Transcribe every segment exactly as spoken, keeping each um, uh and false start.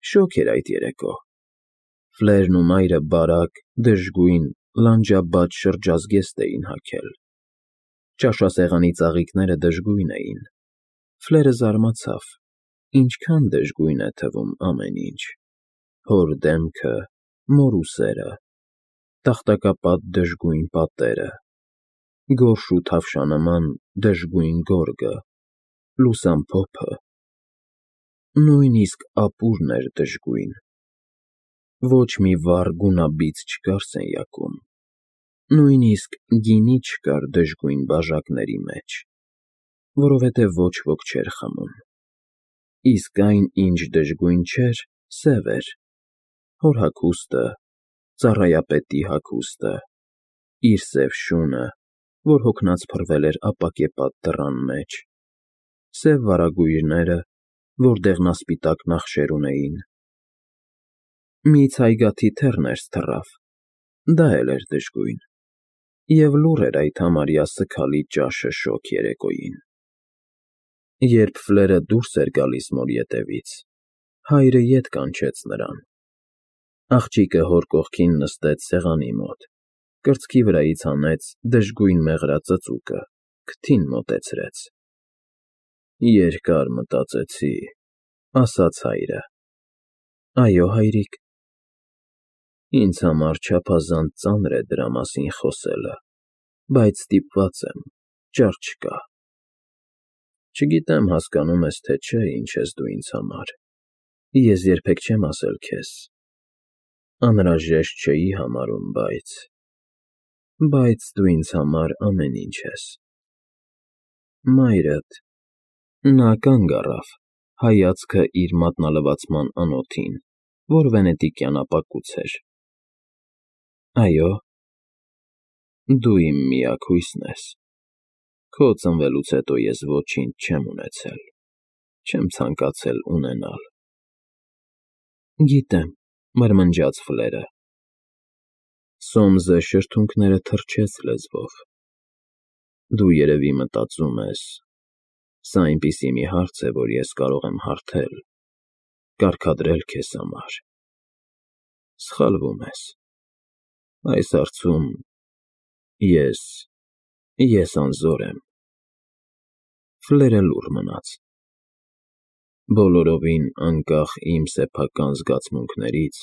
Շոգ էր այդ երեկո։ Ֆլերն ու մայրը բարակ, դժգույն, լանջաբաց շրջազգեստ էին հագել։ Ճաշասեղանի ծաղիկները դժգույն էին։ Ֆլերը զարմացավ. ինչքան դժգույն է թվում ամեն ինչ. հոր դեմքը, մոր ուսերը, տախտակապատ դժգույն պատերը, գորշ ու թավշանման դժգույն գորգը, լուսամփոփը, նույնիսկ ապուրն էր դժգույն։ Ոչ մի վառ գունաբիծ չկար սենյակում, նույնիսկ գինի չկար դժգույն բաժակների մեջ, որովհետև ոչ ոք չէր խմում։ Իսկ այն, ինչ դժգույն չէր, սև էր, հոր հագուստը, ծառայապետի հագուստը, իր սև շունը, որ հոգնած փռվել էր ապակեպատ դռան մեջ, սև վարագույրները, որտեղ նա սպիտակ նախշեր ունեին։ Մի ցայգաթի թեռ ներս թռավ, դա էլ էր դժգույն, և լուռ էր այդ համարյա սգալի ճաշը շոգ երեկոյին։ Երբ Ֆլերը դուրս էր գալիս մոր ետևից, հայրը ետ կանչեց նրան։ Աղջիկը հոր կողքին նստեց սեղանի մոտ, կրծքի վրայից հանեց դժգույն մեղրած ծծուկը, քթին մոտեցրեց։ Երկար մտածեցի, ասաց հայրը։ Այո, հայրիկ։ Ինձ համար չափազանց ծանր է դրա մասին խոսելը, բայց ստիպված եմ, ճար չկա։ Չգիտեմ հասկանում ես, թե չէ, ինչ ես դու ինձ համար, ես երբեք չեմ ասել քեզ, անհրաժեշտ չէի համարում, բայց… բայց դու ինձ համար ամեն ինչ ես։ Մայրդ… Նա կանգ առավ, հայացքը իր մատնալվացման անոթին, որ վենետիկյան ապակուց էր։ Այո։ Դու իմ միակ հույսն ես։ Քո ծնվելուց հետո ես ոչինչ չեմ ունեցել, չեմ ցանկացել ունենալ։ Գիտեմ, մրմնջաց Ֆլերը։ Սոմսը շրթունքները թռչեց լեզվով։ Դու երևի մտածում ես. սա այնպիսի մի հարց է, որ ես կարող եմ հարթել, կարգադրել քեզ համար։ Սխալվում ես։ Այս հարցում ես… ես անզոր եմ։ Ֆլերը լուռ մնաց։ Բոլորովին անկախ իմ սեփական զգացմունքներից,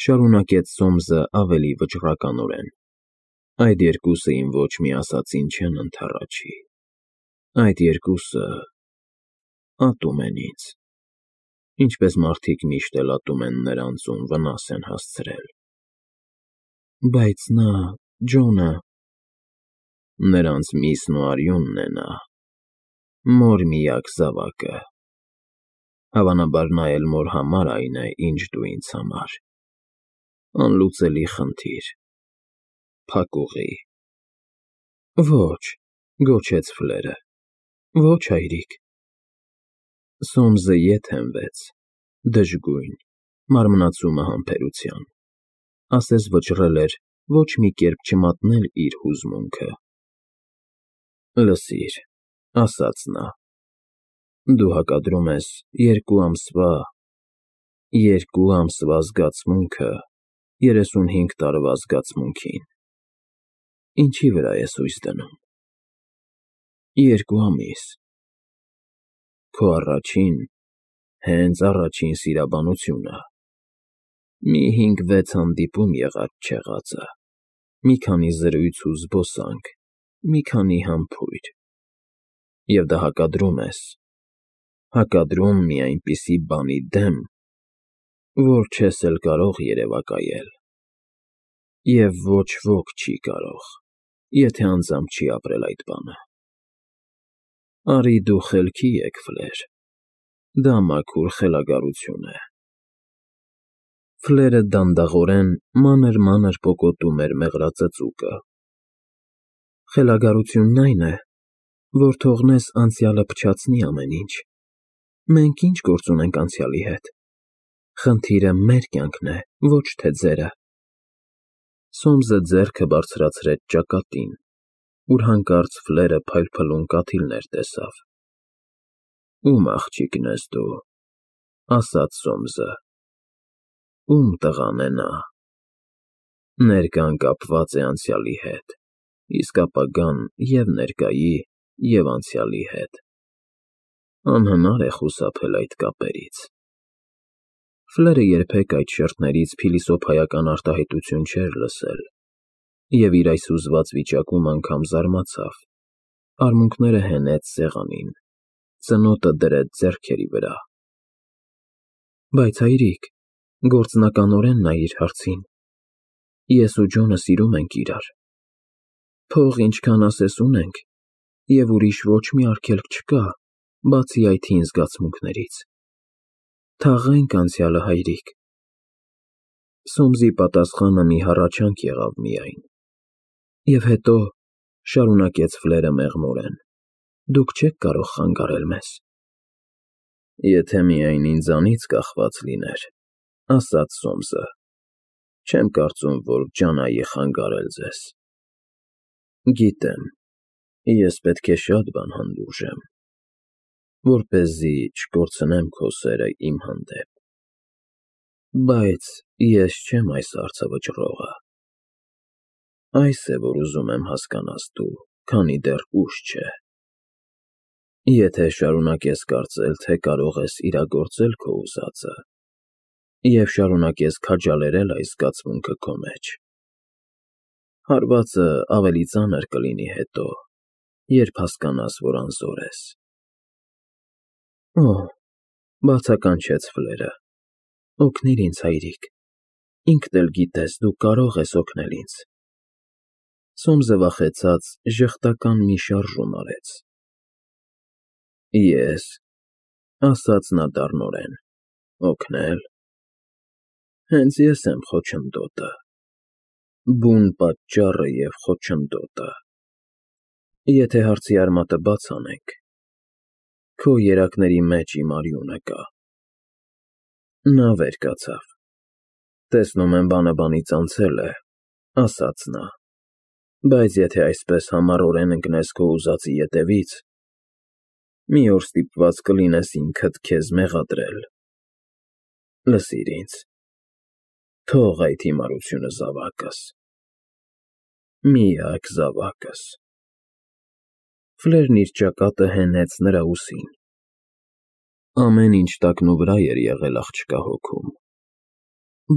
շարունակեց Սոմսը ավելի վճռականորեն, այդ երկուսը իմ ոչ մի ասածին չեն ընդառաջի, այդ երկուսը… ատում են ինձ, ինչպես մարդիկ միշտ էլ ատում են նրանց, ում վնաս են հասցրել։ Բայց նա… Ջոնը… Նրանց միսն ու արյունն է նա, մոր միակ զավակը, հավանաբար նա էլ մոր համար այն է, ինչ դու ինձ համար, անլուծելի խնդիր, փակուղի։ Ոչ, գոչեց Ֆլերը, ոչ, հայրիկ։ Սոմսը ետ հենվեց, դժգույն, մարմնացումը համբերության, ասես վճռել էր ոչ մի կերպ չմատնել իր հուզմունքը։ Լսիր, ասաց նա, դու հակադրում ես երկու ամսվա… երկու ամսվա զգացմունքը երեսունհինգ տարվա զգացմունքին, ինչի՞ վրա ես հույս դնում։ Երկու ամիս… Քո առաջին, հենց առաջին սիրաբանությունը, մի հինգ֊վեց հանդիպում եղած֊չեղածը, մի քանի զրույց ու զբոսանք, մի քանի համբույր… Եվ դա հակադրում ես, հակադրում մի այնպիսի բանի դեմ, որ չես էլ կարող երևակայել, և ոչ ոք չի կարող, եթե անձամբ չի ապրել այդ բանը։ Արի դու խելքի եկ, Ֆլեր, դա մաքուր խելագարություն է։ Ֆլերը դանդաղորեն մանր֊մանր պոկոտում էր մեղրածծուկը։ Խելագարությունն այն է, որ թողնես անցյալը փչացնի ամեն ինչ։ Մենք ի՞նչ գործ ունենք անցյալի հետ։ Խնդիրը մեր կյանքն է, ոչ թե ձերը։ Սոմսը ձեռքը բարձրացրեց ճակատին, ուր հանկարծ Ֆլերը փայլփլուն կաթիլներ տեսավ։ Ո՞ւմ աղջիկն ես դու, ասաց Սոմսը, Ում տղան է նա։ Ներկան կապված է անցյալի հետ, իսկ ապագան և ներկայի, և անցյալի հետ։ Անհնար է խուսափել այդ կապերից։ Ֆլերը երբեք այդ շերտներից փիլիսոփայական արտահայտություն չէր լսել և իր այս հուզված վիճակում անգամ զարմացավ, արմունկները հենեց սեղանին, ծնոտը դրեց ձեռքերի վրա։ Բայց հայրիկ, գործնականորեն նայիր հարցին, ես ու Ջոնը սիրում ենք իրար, փող ինչքան ասես ունենք, և ուրիշ ոչ մի արգելք չկա, բացի այդ հին զգացմունքներից։ Թաղենք անցյալը, հայրիկ։ Սոմսի պատասխանը մի հառաչանք եղավ միայն։ Եվ հետո, շարունակեց Ֆլերը մեղմորեն, դուք չեք կարող խանգարել մեզ։ Եթե միայն ինձանից կախված լիներ, ասաց Սոմսը, չեմ կարծում, որ ջանայի խանգարել ձեզ։ Գիտեմ, ես պետք է շատ բան հանդուրժեմ, որպեսզի չկորցնեմ քո սերը իմ հանդեպ, բայց ես չեմ այս հարցը վճռողը։ Այս է, որ ուզում եմ հասկանաս դու, քանի դեռ ուշ չէ։ Եթե շարունակես կարծել, թե կարող ես իրագործել քո ուզածը, և շարունակես քաջալերել այս զգացմունքը քո մեջ, հարվածը ավելի ծանր կլինի հետո, երբ հասկանաս, որ անզոր ես։ Օհ, բացականչեց Ֆլերը, օգնիր ինձ, հայրիկ, ինքդ էլ գիտես, դու կարող ես օգնել ինձ։ Սոմսը վախեցած ժխտական մի շարժում արեց։ Ես, ասաց նա դառնորեն, օգնել։ Հենց ես եմ խոչընդոտը, բուն պատճառը և խոչընդոտը։ Եթե հարցի արմատը բաց անենք, քո երակների մեջ իմ արյունը կա։ Նա վեր կացավ։ Տեսնում եմ, բանը բանից անցել է, ասաց նա, բայց եթե այսպես համառորեն ընկնես քո ուզածի ետևից, մի օր ստիպված կլինես ինքդ քեզ մեղադրել։ Լսիր ինձ, թող այդ հիմարությունը զավակս, միակ զավակս։ Ֆլերն իր ճակատը հենեց նրա ուսին։ Ամեն ինչ տակնուվրա էր եղել աղջկա հոգում,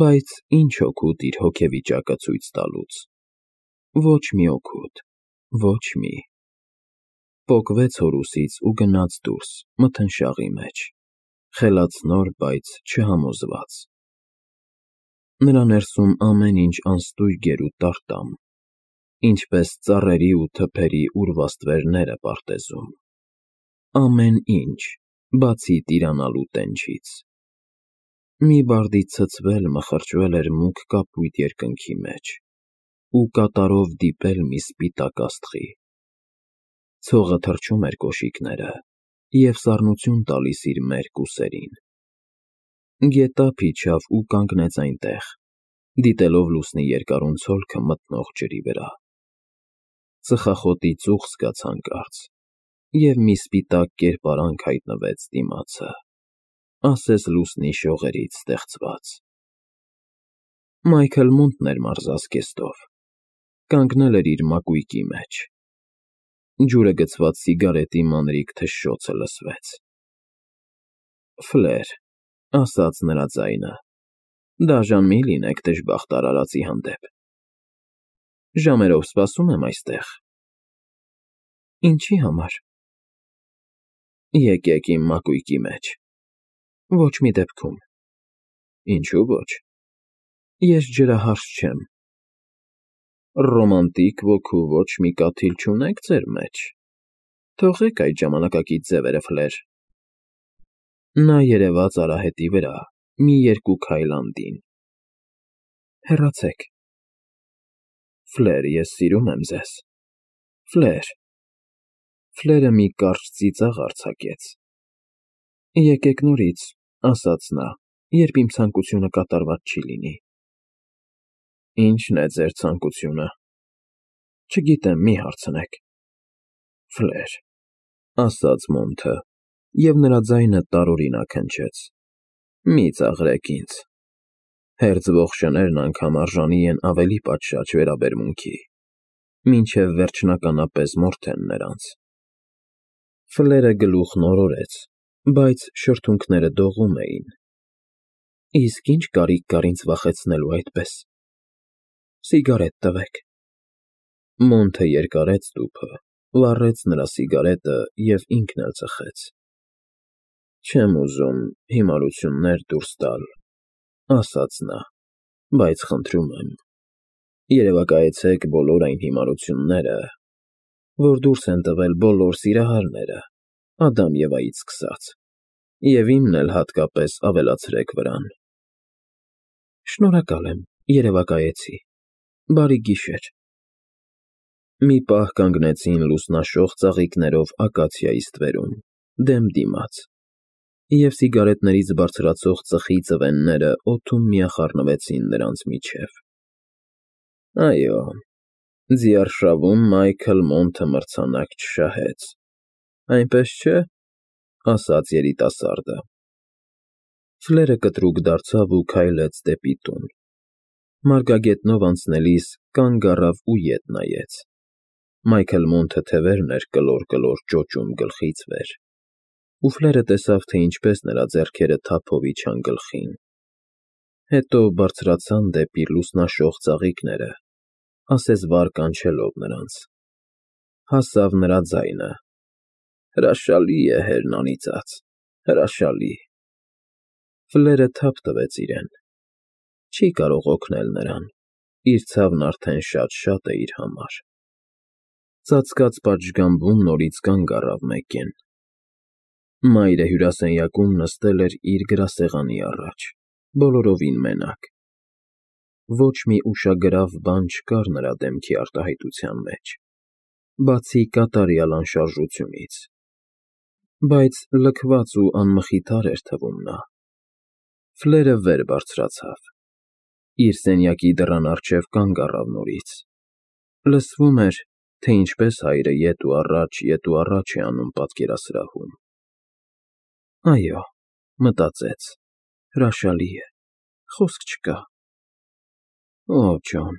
բայց ինչ օգուտ իր հոգեվիճակը ցույց տալուց։ Ոչ մի օգուտ, ոչ մի։ Պոկվեց հոր ուսից ու գնաց դուրս, մթնշաղի մեջ, խելացնոր, բայց չհամոզված։ Նրա ներսում ամեն ինչ անստույգ էր ու տարտամ, ինչպես ծառերի ու թփերի ուրվաստ վերները պարտեզում։ Ամեն ինչ, բացի տիրանալու տենչից։ Մի բարդի ցցվել մխրճվել էր մուգ կապույտ երկնքի մեջ ու կատարով դիպել մի սպիտակ աստղի։ Ցողը թռչում էր կոշիկները և սառնություն տալիս իր մերկ ուսերին։ Գետափ իջավ ու կանգնեց այնտեղ, դիտելով լուսնի երկարուն ցոլքը մթնող ջրի վրա։ Ծխախոտի ծուխ զգաց հանկարծ, և մի սպիտակ կերպարանք հայտնվեց դիմացը, ասես լուսնի շողերից ստեղծված։ Մայքլ Մունտն էր մարզասկեստով, կանգնել էր իր մակույկի մեջ։ Ջուրը գցված սիգարետի մանրիկ թշշոցը լսվեց։ Ֆլեր, ասաց նրա ձայնը, դաժան մի լինեք դժբախտ արարածի հանդեպ։ Ժամերով սպասում եմ այստեղ։ Ինչի համար։ Եկեք իմ մակույկի մեջ։ Ոչ մի դեպքում։ Ինչու ոչ։ Ես ջրահարսք չեմ։ Ռոմանտիկ ոգու ոչ մի կաթիլ չունեք ձեր մեջ։ Թողեք այդ ժամանակակից ձևերը, Ֆլեր։ Նա երևաց արահետի վրա, մի երկու քայլ անդին։ Հեռացեք։ Ֆլեր, ես սիրում եմ ձեզ։ Ֆլեր։ Ֆլերը մի կարճ ծիծաղ արձակեց։ Եկեք նորից, ասաց նա, երբ իմ ցանկությունը կատարված չի լինի։ Ի՞նչն է ձեր ցանկությունը։ Չգիտեմ, մի հարցնեք։ Ֆլեր, ասաց Մոնթը, և նրա ձայնը տարօրինակ հնչեց։ Մի ծաղրեք ինձ։ Հերձվող շներն անգամ արժանի են ավելի պատշաճ վերաբերմունքի, մինչև վերջնականապես մորթեն նրանց։ Ֆլերը գլուխն օրորեց, բայց շրթունքները դողում էին։ Իսկ ինչ կարիք կար ինձ վախեցնելու այդպես։ Սիգարետ տվեք։ Մոնթը երկարեց տուփը, վառեց նրա սիգարետը և ինքն էլ ծխեց։ Չեմ ուզում հիմարություններ դուրս տալ, ասաց նա, բայց խնդրում եմ, երևակայեցեք բոլոր այն հիմարությունները, որ դուրս են տվել բոլոր սիրահարները, Ադամ Եվայից սկսած, և իմն էլ հատկապես ավելացրեք վրան։ Շնորհակալ եմ, երևակայեցի, բարի գիշեր։ Մի պահ կանգնեցին լուսնաշող ծաղիկներով ակացիայի ստվերում, դեմ դիմաց, և սիգարետներից բարձրացող ծխի ծվենները օդում միախառնվեցին նրանց միջև։ Այո, ձիարշավում Մայքլ Մոնթը մրցանակ չշահեց, այնպես չէ՞, ասաց երիտասարդը։ Ֆլերը կտրուկ դարձավ ու քայլեց դեպի տուն։ Մարգագետնով անցնելիս կանգ առավ ու ետ նայեց։ Մայքլ Մոնթը թևերն էր կլոր-կլոր ճոճում գլխից վեր, ու Ֆլերը տեսավ, թե ինչպես նրա ձեռքերը թափով իջան գլխին, հետո բարձրացան դեպի լուսնաշող ծաղիկները, ասես վար կանչելով նրանց։ Հասավ նրա ձայնը. հրաշալի է հերն անիծած, հրաշալի։ Ֆլերը թափ տվեց իրեն։ Չի կարող օգնել նրան, իր ցավն արդեն շատ-շատ է իր համար։ Ծածկած պատշգամբում նորից կանգ առավ մեկեն։ Մայրը հյուրասենյակում նստել էր իր գրասեղանի առաջ, բոլորովին մենակ։ Ոչ մի ուշագրավ բան չկար նրա դեմքի արտահայտության մեջ, բացի կատարյալ անշարժությունից, բայց լքված ու անմխիթար էր թվում նա։ Ֆլերը վեր բարձրացավ, իր սենյակի դռան առջև կանգ առավ նորից։ Լսվում էր, թե ինչպես հայրը ետ ու առաջ, ետ ու առաջ է անում պատկերասրահում։ Այո, մտածեց, հրաշալի է, խոսք չկա։ Օ, Ջոն,